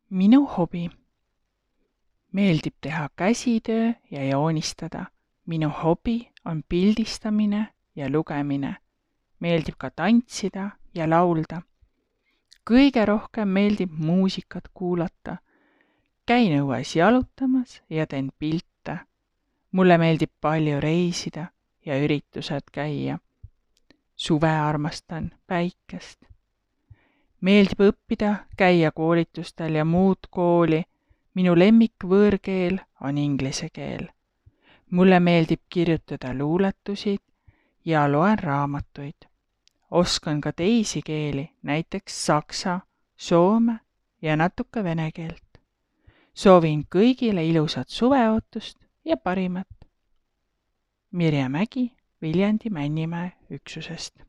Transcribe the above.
Minu hobi. Meeldib teha käsitöö ja joonistada. Minu hobi on pildistamine ja lugemine. Meeldib ka tantsida ja laulda. Kõige rohkem meeldib muusikat kuulata. Käin õues jalutamas ja teen pilte. Mulle meeldib palju reisida ja üritused käia. Suve armastan päikest. Meeldib õppida, käia koolitustel ja muud kooli. Minu lemmikvõõrkeel on inglise keel. Mulle meeldib kirjutada luuletusid ja loen raamatuid. Oskan ka teisi keeli, näiteks saksa, soome ja natuke vene keelt. Soovin kõigile ilusat suveootust ja parimat. Mirje Mägi Viljandi Männimäe üksusest.